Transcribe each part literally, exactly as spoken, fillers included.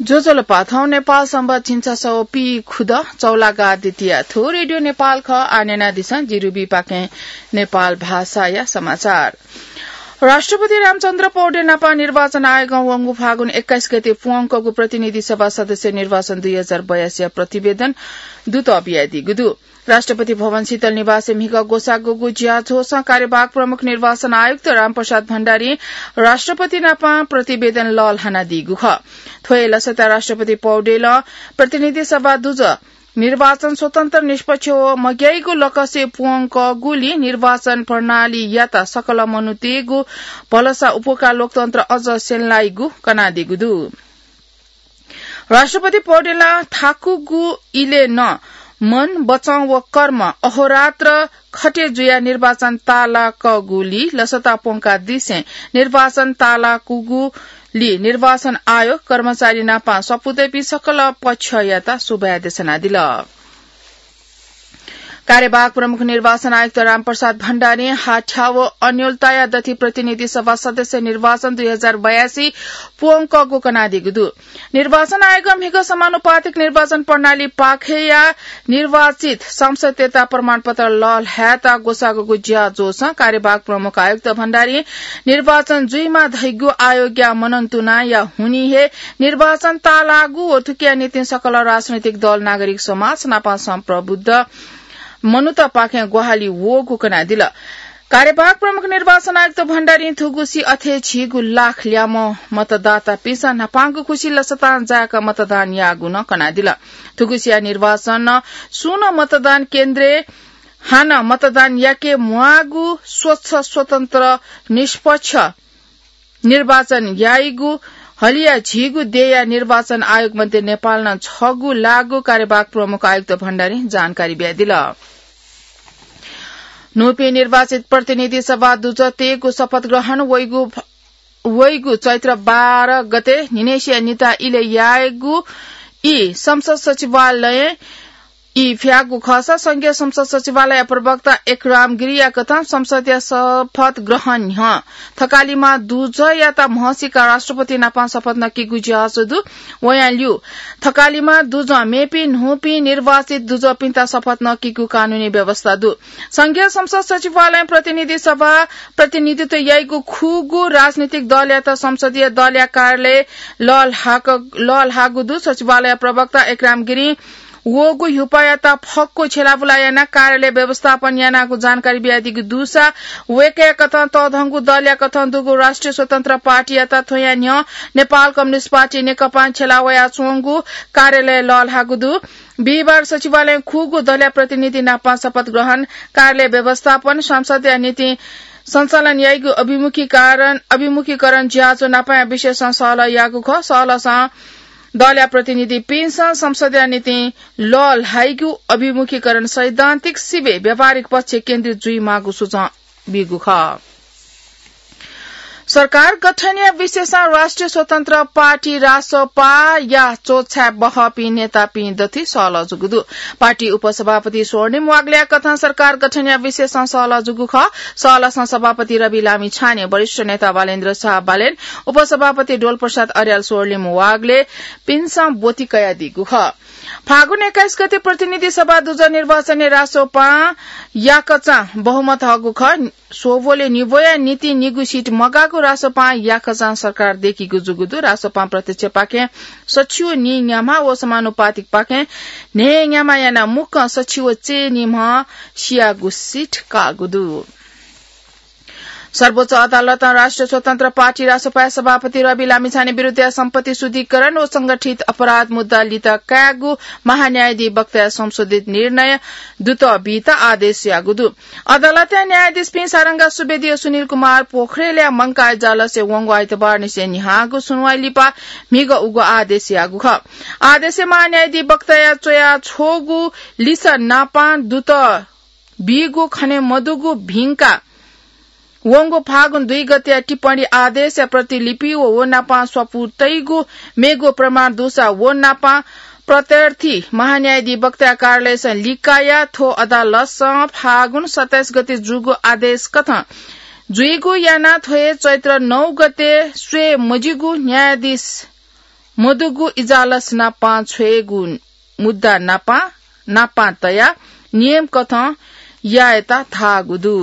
ज्वजलपा, थौं नेपाल संवत् झिंछसः व पीखुदँ चौलागा द्वितीया। थ्व रेडियो नेपाल खः। आः न्यनादिसँ जिरुबीपाखें नेपाल भाषाया समाचार। राष्ट्रपति रामचन्द्र पौडेल नापं निर्वाचन आयोगं वंगु फागुन एक्काइस गते प्वंकःगु प्रतिनिधि सभा सदस्य निर्वाचन दुई हजार बयासीया प्रतिवेदन दुत बियादीगु दु। राष्ट्रपति भवन शीतल निवासय् म्हिगः ग्वसाःगुगु ज्याझ्वलय् कार्यवाहक प्रमुख निर्वाचन आयुक्त रामप्रसाद भण्डारीं राष्ट्रपति नापं प्रतिवेदन लःल्हानादीगु खः। थ्व हे लसताय् राष्ट्रपति पौडेलं प्रतिनिधि सभा दुजः निर्वाचन स्वतन्त्र, निष्पक्ष व मग्याइगु लकसय् प्वंकःगुलिं निर्वाचन प्रणालीयात सकल मनूतय्गु भलसा उपकार लोकतन्त्र अझ स्यंलाइगु कनादीगु दु। राष्ट्रपति पौडेलं थाकुगु इलय् नं मन, वचं व कर्म अहोरात्र खटे जुयाः निर्वाचन तालाकःगुलिं लसता प्वंकादिसें निर्वाचन तालाकूगुलिं निर्वाचन आयोग कर्मचारी नापं सपुतय्पिं सकल पक्षयात सुभाय् देछानादिल। कार्यवाहक प्रमुख निर्वाचन आयुक्त रामप्रसाद भण्डारीं हाथ्याः व अन्योलताया दथि प्रतिनिधि सभा सदस्य निर्वाचन दुई हजार बयासी प्वंकःगु कनादीगु दु। निर्वाचन आयोगं म्हिगः समानुपातिक निर्वाचन प्रणाली पाखेया निर्वाचित सांसदतय्त प्रमाणपत्र लःल्हायेत ग्वसाःगु ज्याझ्वलय् कार्यवाहक प्रमुख आयुक्त भण्डारीं निर्वाचन जुइमा धइगु आयोगया मनंतुनाया हुनिं हे निर्वाचन तालाःगु व थुकिया निंतिं सकल राजनैतिक दल, नागरिक समाज नापं सम्प्रभुत मनूतपाखें ग्वाहालि वःगु कनादिल। कार्यवाहक प्रमुख निर्वाचन आयुक्त भण्डारीं थुगुसी अथे झीगु लाख ल्याय्म्ह मतदातापिन्सं न्हापांगु खुसि लसतां जाय्क मतदान याःगु नं कनादिल। थुगुसिया निर्वाचनं सुं नं मतदान केन्द्रय् हानं मतदान याके म्वाःगु, स्वच्छ, स्वतन्त्र, निष्पक्ष निर्वाचन याइगु हलिया झीगु देय्या निर्वाचन आयोग मध्ये नेपालं छगू लाःगु कार्यवाहक प्रमुख आयुक्त भण्डारीं जानकारी बियादिल। न्हूपिं निर्वाचित प्रतिनिधि सभा दुजःतय्गु शपथ ग्रहण वइगु, वइगु चैत्र बाह्र गते न्हिनय्सिया निता इलय् यायेगु ई संसद सचिवालयं ई फ्याःगु खःसा संघीय संसद सचिवालय प्रवक्ता एकराम गिरीया कथं संसदया शपथ ग्रहण न्ह्यः थकालिमा दुजःयात म्हसीका राष्ट्रपति नापं शपथ नकीगु ज्याझ्वः दु। वयां ल्यू थकालिमा दुजः मेपिं न्हूपिं निर्वाचित दुजःपिन्त शपथ नकीगु कानूनी व्यवस्था दु। संघीय संसद सचिवालयं प्रतिनिधि सभा प्रतिनिधित्व याइगु खुगू राजनीतिक दलयात संसदीय दलया कार्यालय लःल्हाक-, लःल्हाःगु दु। सचिवालय प्रवक्ता एकराम गिरीं वःगु ह्युपायात फक्व छ्यलाबुला यानाः कार्यालय व्यवस्थापन यानागु जानकारी बियादीगु दुसा वय्कःया कथं तःधंगु दलया कथं दुगु राष्ट्रिय स्वतन्त्र पार्टीयात थ्वया न्ह्यः नेपाल कम्युनिस्ट पार्टी नेकपां छ्यला वयाच्वंगु कार्यालय लःल्हाःगु दु। बिहिबार सचिवालयं खुगू दलया प्रतिनिधि नापं शपथ ग्रहण, कार्यालय व्यवस्थापन, संसदया निंतिं सञ्चालन याइगु अभिमुखीकरण, अभिमुखीकरण ज्याझ्वः नापंया विषयसं सहलह याःगु खः। सहलहसं दलया प्रतिनिधिपिन्सं संसदया निंतिं लःल्हाइगु अभिमुखीकरण सैद्धान्तिक सिबें व्यावहारिक पक्ष केन्द्रित जुइमाःगु सुझाव बीगु खः। सरकार गठनया विषयसं राष्ट्रिय स्वतन्त्र पार्टी रासोपाया च्वछाय् बहःपिं नेतापिं दथि सहलह जूगु दु। पार्टी उपसभापति स्वर्णिम वाग्लेया कथं सरकार गठनया विषयसं सहलह जूगु खः। सहलहसं सभापति रवि लामिछाने, वरिष्ठ नेता बालेन्द्र शाह बालेन, उपसभापति डोलप्रसाद अर्याल, स्वर्णिम वाग्लेपिन्सं ब्वति कयादीगु खः। फागुन एक्काइस गते प्रतिनिधि सभा दुजः निर्वाचनय् रासोपां याकःचां बहुमत हःगु खः। स्वब्वलय् निब्वया निंतिं निगू सिट मगाःगु रासोपां याकःचां सरकार दय्कीगु जूगु दु। रासोपां प्रत्यक्षपाखें सछि व नीन्याम्ह व समानुपातिकपाखें न्हय्न्याम्ह यानाः मुक्कं सछि व चय्निम्ह सियागु सिट काःगु दु। सर्वोच्च अदालतं राष्ट्रिय स्वतन्त्र पार्टी रासोपाया सभापति रवि लामिछाने विरुद्धया सम्पत्ति शुद्धिकरण व संगठित अपराध मुद्दा लित कायेगु महान्यायाधिवक्ताया संशोधित निर्णय दुत बीत आदेश याःगु दु। अदालतया न्यायाधीशपिं सारंगा सुवेदी व सुनिल कुमार पोखरेलया मंकाः इजलासय् वंगु आइतबारनिसें न्ह्याःगु सुनुवाइ लिपा म्हिगः उगु आदेश याःगु खः। आदेशय् महान्यायाधिवक्ताया च्वया छ्वःगु लिसः नापं दुत बीगु खने मदुगु भिंका वंगु फागुन दुई गतेया टिप्पणी आदेशया प्रतिलिपि व व नापं स्वापू तइगु मेगु प्रमाण दुसा व नापं प्रत्यर्थी महान्यायाधिवक्ताया कार्यालयसं लिकाया थ्व अदालतसं फागुन सत्ताइस गते जूगु आदेश कथं जुइगु यानाः थ्व हे चैत्र नौ गते स्वये मजिगु न्यायाधीश मदुगु इजालस नापां छ्वयेगु मुद्दा नापां, नापां तयाः नियम कथं यायेत धाःगु दु।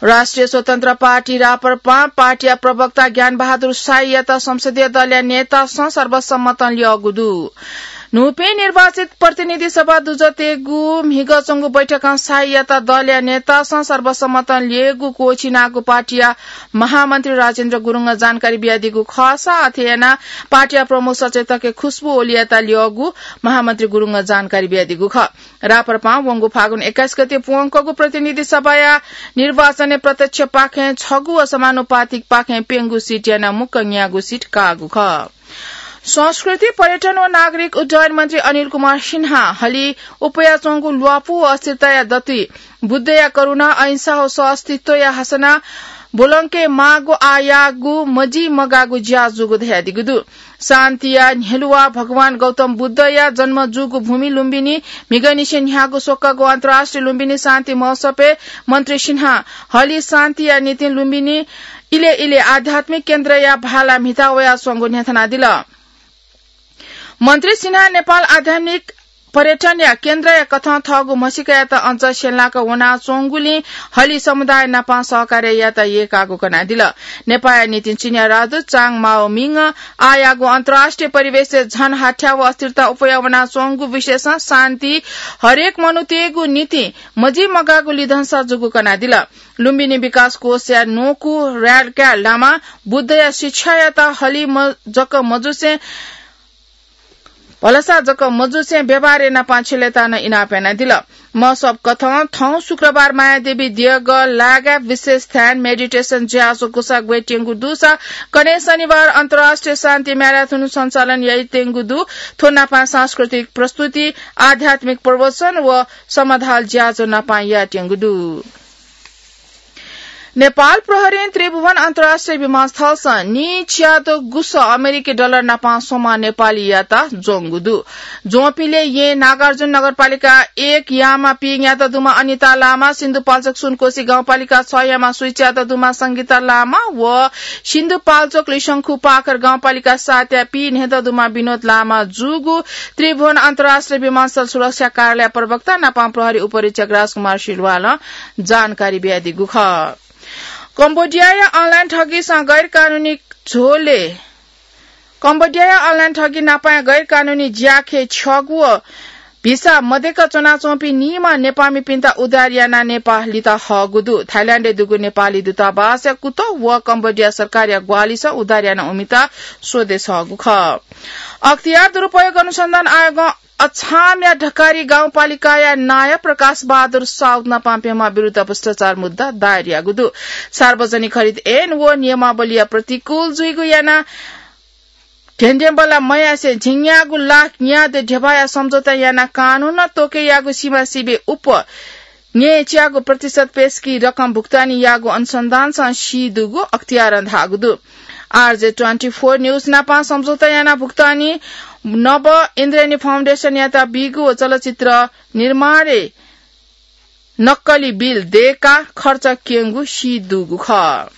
राष्ट्रिय स्वतन्त्र पार्टी राप्रपां पार्टीया प्रवक्ता ज्ञानबहादुर शाहीयात संसदीय दलया नेतासं सर्वसम्मतं ल्यःगु दु। न्हूपिं निर्वाचित प्रतिनिधि सभा दुजः तयेगु म्हिगः च्वंगु बैठकं शाहीयात दलया नेतासं सर्वसम्मतं ल्यःगु क्वःछिनागु पार्टीया महामन्त्री राजेन्द्र गुरुङं जानकारी बियादीगु खःसा, अथे यानाः पार्टीया प्रमुख सचेतकय् खुशबु ओलीयात ल्यःगु महामन्त्री गुरुङं जानकारी बियादीगु खः। राप्रपां वंगु फागुन एक्काइस गते प्वंकःगु प्रतिनिधि सभाया निर्वाचनय् प्रत्यक्षपाखें छगू व समानुपातिकपाखें प्यंगू सिट यानाः मुक्क न्यागू सिट काःगु खः। संस्कृति, पर्यटन व नागरिक उड्डयन मन्त्री अनिल कुमार सिन्हां हलि उपाया च्वंगु ल्वापु व अस्थिरताया दतुइ बुद्धया करुणा, अहिंसा व सहअस्तित्वया हसना ब्वलंके माःगु आःयाःगु मजिमगाःगु ज्या जूगु धयादीगु दु। शान्तिया न्ह्यलुवा भगवान गौतम बुद्धया जन्म जूगु भूमि लुम्बिनी म्हिगःनिसें न्ह्याःगु स्वकःगु अन्तर्राष्ट्रिय लुम्बिनी शान्ति महोत्सवय् मन्त्री सिन्हां हलि शान्तिया निंतिं लुम्बिनी इलय् इलय् आध्यात्मिक केन्द्रया भाला म्हिता वयाच्वंगु न्ह्यथनादिल। मन्त्री सिन्हां नेपाल आध्यात्मिक पर्यटनया केन्द्रया कथं थःगु म्हसीकायात अझ स्यंलाक वनाच्वंगुलिं हलि समुदाय नाप सहकार्य यायेत यय्काःगु कनादिल। नेपाःया निंतिं चिनियाँ राजदूत चाङ माओमिङं आःयाःगु अन्तर्राष्ट्रिय परिवेशय् झन हाथ्याः व अस्थिरता उपाया वनाच्वंगु विषयसं शान्ति हरेक मनूतय्गु निंतिं मजिमगाःगु लिधंसा जूगु कनादिल। लुम्बिनी विकास कोषया न्वकू र्यालकाय् लामा बुद्धया शिक्षायात हलि म-, जक मजुसें भलसा जक मजुसें व्यवहारय् नापां छ्यलेताः नं इनाप यानादिल। महोत्सव कथं थौं शुक्रबार मायादेवी देगः लागाय् विशेष ध्यान, meditation, ज्याझ्वः ग्वसाः ग्वयेत्यंगु दुसा कन्हय् शनिबार अन्तर्राष्ट्रिय शान्ति म्याराथुन सञ्चालन याइत्यंगु दु। थ्व नापां सांस्कृतिक प्रस्तुति, आध्यात्मिक प्रवचन व समाधाल ज्याझ्वः नापां यायेत्यंगु दु। नेपाल प्रहरीं त्रिभुवन अन्तर्राष्ट्रिय विमानस्थलसं नीच्यादँ गुसः अमेरिकी डलर नापां स्वम्ह नेपालीयात ज्वंगु दु। ज्वंपिले यें नागार्जुन नगरपालिका एक यामा पीन्यादँ दुम्ह अनिता लामा, सिन्धुपाल्चोक सुनकोशी गाउँपालिका छ यामा स्वीच्यादँ दुम्ह संगीता लामा व सिन्धुपाल्चोक लिसंखु पाखर गाउँपालिका सात या पीन्हय्दँ दुम्ह विनोद लामा जूगु त्रिभुवन अन्तर्राष्ट्रिय विमानस्थल सुरक्षा कार्यालय प्रवक्ता नापां प्रहरी उपरीक्षक राजकुमार सिलवालं जानकारी बियादीगु खः। कम्बोडियाया अनलाइन ठगीसं गैरकानुनी झोले, कम्बोडियाया अनलाइन ठगी नापाया गैरकानुनी ज्याखँय् छ्यःगु व भिसा मदय्क च्वनाच्वंपिं निम्ह नेपाःमिपिन्त उद्धार यानाः नेपाः लित हःगु दु। थाइल्याण्डय् दुगु नेपाली दूतावासया कुतः व कम्बोडिया सरकारया ग्वाहालिसं उद्धार यानाः उमित स्वदेश हःगु खः। अख्तियार दुरुपयोग अनुसन्धान आयोगं अछामया ढकारी गाउँपालिकाया नायः प्रकाश बहादुर साउद नापां प्यम्ह विरुद्ध भ्रष्टाचार मुद्दा दायर याःगु दु। सार्वजनिक खरिद ऐन व नियमावलीया प्रतिकूल जुइगु यानाः ध्यंध्यंबल्ला मयासें झिंन्यागू लाख न्यादँ ध्यबाया सम्झौता यानाः कानूनं त्वःके याःगु सिमासिबय् उप न्यय्च्यागू प्रतिशत पेशकी रकम भुक्तानी याःगु अनुसन्धानसं सी दुगु अख्तियारं धाःगु दु। आरजे ट्वेन्टी फोर न्यूज नापां सम्झौता यानाः भुक्तानी नव इन्द्रेणी फाउन्डेसनयात बीगु व चलचित्र निर्माणय् नक्कली बिल दय्काः खर्च क्यंगु सी दुगु खः।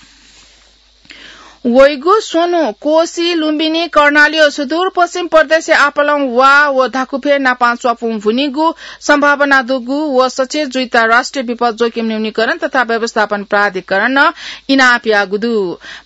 वइगु स्वन्हु कोशी, लुम्बिनी, कर्णाली व सुदूरपश्चिम प्रदेशया आपालं वा व धाकुफय् नापां च्वापुं भुनिगु सम्भावना दुगु व सचेत जुइत राष्ट्रिय विपद जोखिम न्यूनीकरण तथा व्यवस्थापन प्राधिकरणं इनाप याःगु दु।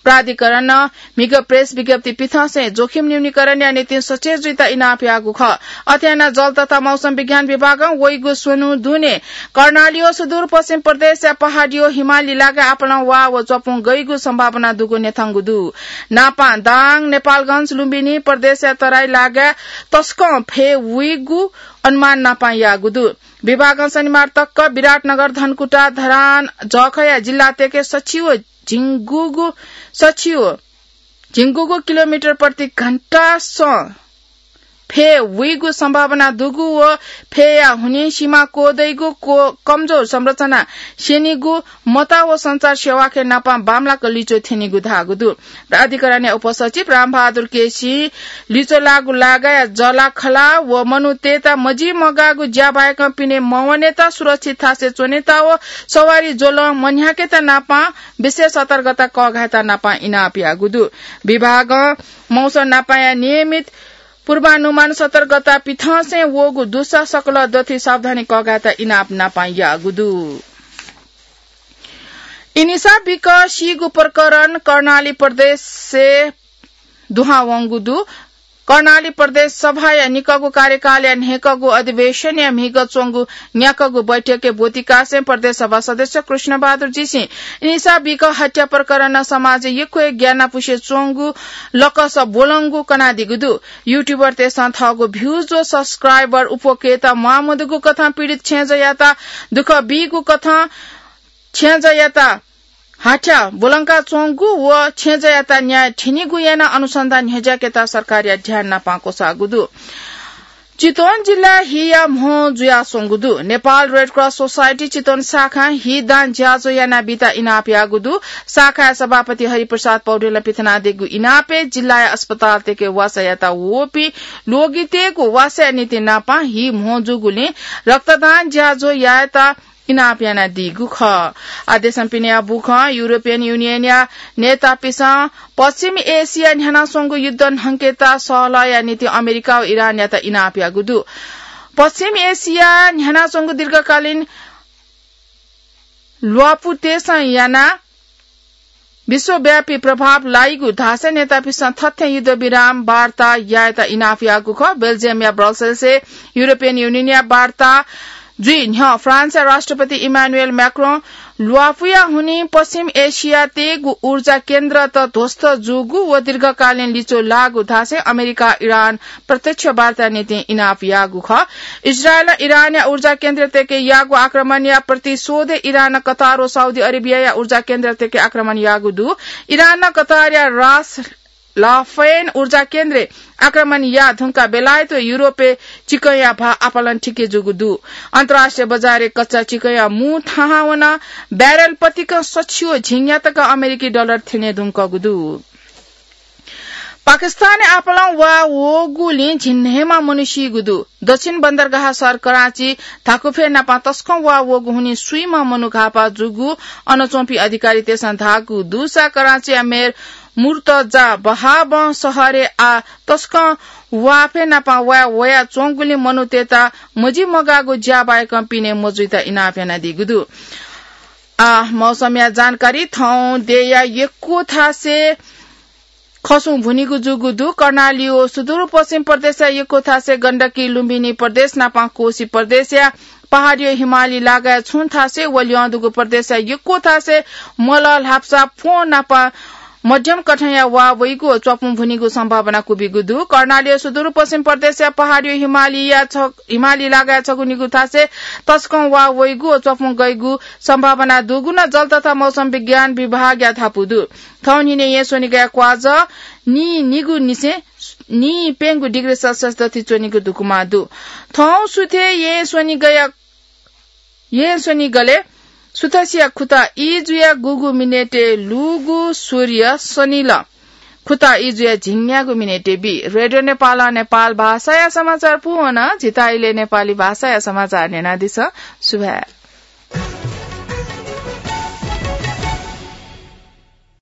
प्राधिकरणं म्हिगः प्रेस विज्ञप्ति पिथंसें जोखिम न्यूनीकरणया निंतिं सचेत जुइत इनाप याःगु खः। अथे यानाः जल तथा मौसम विज्ञान विभागं वइगु स्वन्हु दुने कर्णाली व सुदूरपश्चिम प्रदेशया पहाडी व हिमाली लागाय् आपालं वा व च्वापुं गइगु सम्भावना दुगु न्ह्यथंगु दु। नापां दाङ, नेपालगञ्ज, लुम्बिनी प्रदेशया तराई लागाय् तसकं फय् वइगु अनुमान नापां याःगु दु। विभागं शनिबार तक विराटनगर, धनकुटा, धरान, जःखःया जिल्लातय्के सछि व झिंगुगु, सछि व झिंगुगु किलोमिटर प्रति घण्टासं फय् वइगु सम्भावना दुगु व फय्‌या हुनिं सीमा क्वदइगु क्व-, कमजोर संरचना स्यनीगु मता व सञ्चार सेवाखे नापं बांमलाक लिच्वः थ्यनीगु धाःगु दु। प्राधिकरणया उपसचिव रामबहादुर केसीं लिच्वः लाःगु लागाया जःलाखला व मनूतय्‌त मजिमगाःगु ज्या बाहेकं पिने मवनेत सुरक्षित थासय् च्वनेत व सवारी ज्वलं मन्ह्याकेत नापं विशेष सतर्कता कःघायेत नापं इनाप याःगु दु। विभागं मौसम नापंया नियमित पूर्वानुमान सतर्कता पिथंसें वःगु दुसा सकल दथुइ सावधानी कःघायेत इनाप नापं याःगु दु। इनिसा बिक सीगु प्रकरण कर्णाली प्रदेशय् दुहां वंगु दु। कर्णाली प्रदेश सभाया निकःगु कार्यकालया न्हय्‌कःगु अधिवेशनया म्हिगः च्वंगु न्याकःगु बैठकय् ब्वतिकासें प्रदेश सभा सदस्य कृष्णबहादुर जीसिं इनिसा बिक हत्या प्रकरणं समाजय् यक्व हे ग्यानापुसे च्वंगु लकस ब्वलंगु कनादीगु दु। YouTuberतय्‌सं थःगु views व subscriber उप्वकेत म्वाःमदुगु कथं पीडित छेँजःयात दुःख बीगु कथं छेँजःयात हाथ्या ब्वलंका च्वंगु व छेँजःयात न्याय थ्यनीगु यानाः अनुसन्धान न्ह्यज्याकेत सरकारया ध्यान नापं क्वसाःगु दु। चितवन जिल्ला हिया म्हो जुयाच्वंगु दु। नेपाल रेड क्रस सोसाइटी चितवन शाखां हि दान ज्याझ्वः यानाबीत इनाप याःगु दु। शाखाया सभापति हरिप्रसाद पौडेलं पिथनादीगु इनापय् जिल्लाया अस्पतालतय्‌के वासः यायेत वःपिं ल्वगितय्‌गु वासःया निंतिं नापं हि म्हो जूगुलिं रक्तदान ज्याझ्वः यायेत इनाप यानादीगु खः। आदेशं पिनेया बुखं युरोपियन युनियनया नेतापिसं पश्चिम एसिया न्ह्यानाच्वंगु युद्ध न्हंकेत सहलहया निंतिं अमेरिका व इरानयात इनाप याःगु दु। पश्चिम एसिया न्ह्यानाच्वंगु दीर्घकालीन ल्वापुतय्‌सं यानाः विश्वव्यापी प्रभाव लाइगु धासें नेतापिसं थथे युद्धविराम वार्ता यायेत इनाप याःगु खः। बेल्जियमया ब्रसेल्सय् युरोपियन युनियनया वार्ता जुइ न्ह्यः फ्रान्सया राष्ट्रपति इमानुएल म्याक्रों ल्वापुया हुनिं पश्चिम एसियातय्‌गु ऊर्जा केन्द्रत ध्वस्त जूगु व दीर्घकालीन लिच्वः लाःगु धासें अमेरिका इरान प्रत्यक्ष वार्ता निंतिं इनाप याःगु खः। इजरायलं इरानया ऊर्जा केन्द्रतय्‌के याःगु आक्रमणया प्रतिशोधय् इरानं कतार व साउदी अरेबियाया ऊर्जा केन्द्रतय्‌के आक्रमण याःगु दु। इरानं कतारया रास लाफैन ऊर्जा केन्द्रय् आक्रमण याः धुंकाः बेलायत व युरोपय् चिकंया भाः आपालं थिके जूगु दु। अन्तर्राष्ट्रिय बजारय् कच्चा चिकंया मू थाहां वनाः ब्यारेल पतिकं सछि व झिंन्यातक अमेरिकी डलर थ्यने धुंकूगु दु। पाकिस्तानय् आपालं वा वःगुलिं झिंन्हय्‌म्ह मनू सीगु दु। दक्षिण बन्दरगाह शहर कराँची धाकुफय् नापं तसकं वा वःगु हुनिं स्वीम्ह मनू घाःपाः जूगु अन च्वंपिं अधिकारीतय्‌सं धाःगु दुसा कराँचीया मेयर मुर्तजा बहाबं शहरय् आः तसकं वाफय् नापं वा वयाच्वंगुलिं मनूतय्‌त मजिमगाःगु ज्या बाहेकं पिने मजुइत इनाप यानादीगु दु। आः मौसमया जानकारी। थौं देय्‌या यक्व थासय् खसुं भुनिगु जूगु दु। कर्णाली व सुदूरपश्चिम प्रदेशया यक्व थासय् गण्डकी, लुम्बिनी प्रदेश नापं कोशी प्रदेशया पहाडी व हिमाली लागाय् छुं थासय् व ल्यं दुगु प्रदेशया यक्व थासय् मलः ल्हापसा प्वँ नापं मध्यम कथंया वा वइगु व च्वापुं भुनिगु सम्भावना क्वबिगु दु। कर्णाली व सुदूरपश्चिम प्रदेशया पहाडी व हिमालीया छ-, हिमाली लागाय् छगू निगू थासय् तसकं वा वइगु व च्वापुं गइगु सम्भावना दुगु नं जल तथा मौसम विज्ञान विभागया धापू दु। थौं न्हिनय् येँ स्वनिगया क्वाजः नीनिगू निसें नीप्यंगू डिग्री सेल्सियस दथुइ च्वनीगु धुकुमा दु। थौं सुथय् येँ स्वनिगया, येँ स्वनिगलय् सुथसिया खुता ई जुया गुगु मिनेटय् लूगु सूर्य सनिल खुता ई जुया झिंन्यागू मिनेटय् बी। रेडियो नेपालं नेपाल भाषाया समाचार पूवन। झीत इलय् नेपाली भाषाया समाचार न्यनादिसँ। सुभाय्।